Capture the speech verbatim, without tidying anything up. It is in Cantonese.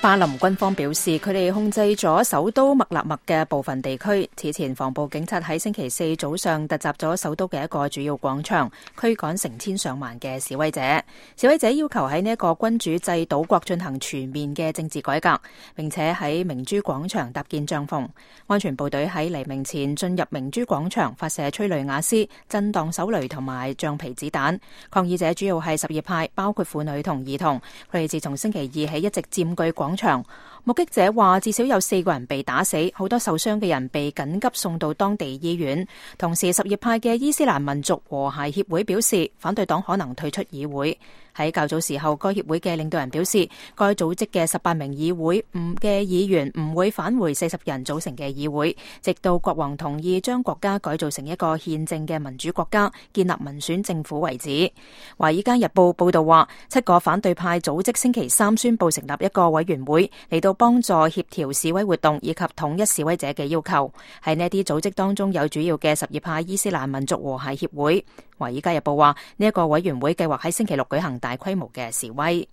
巴林軍方表示，佢哋控制咗首都麥納麥嘅部分地區。此前，防暴警察喺星期四早上突襲咗首都嘅一個主要廣場，驅趕成千上萬嘅示威者。示威者要求喺呢一個君主制島國進行全面嘅政治改革，並且喺明珠廣場搭建帳篷。安全部隊喺黎明前進入明珠廣場，發射催淚瓦斯、震盪手雷同埋橡皮子彈。抗議者主要係什葉派，包括婦女同兒童。佢哋自從星期二起一直佔據廣場。目擊者話，至少有四個人被打死，好多受傷嘅人被緊急送到當地醫院。同時，什葉派嘅伊斯蘭民族和諧協會表示，反對黨可能退出議會。喺較早時候，該協會嘅領導人表示，該組織嘅十八名議會唔嘅議員唔會返回四十人組成嘅議會，直到國王同意將國家改造成一個憲政嘅民主國家，建立民選政府為止。華爾街日報報道話，七個反對派組織星期三宣布成立一個委員會，嚟到幫助協調示威活動以及統一示威者嘅要求。喺呢啲組織當中有主要嘅什葉派伊斯蘭民族和諧協會。華爾街日報話，呢一個委員會計劃喺星期六舉行大規模嘅示威。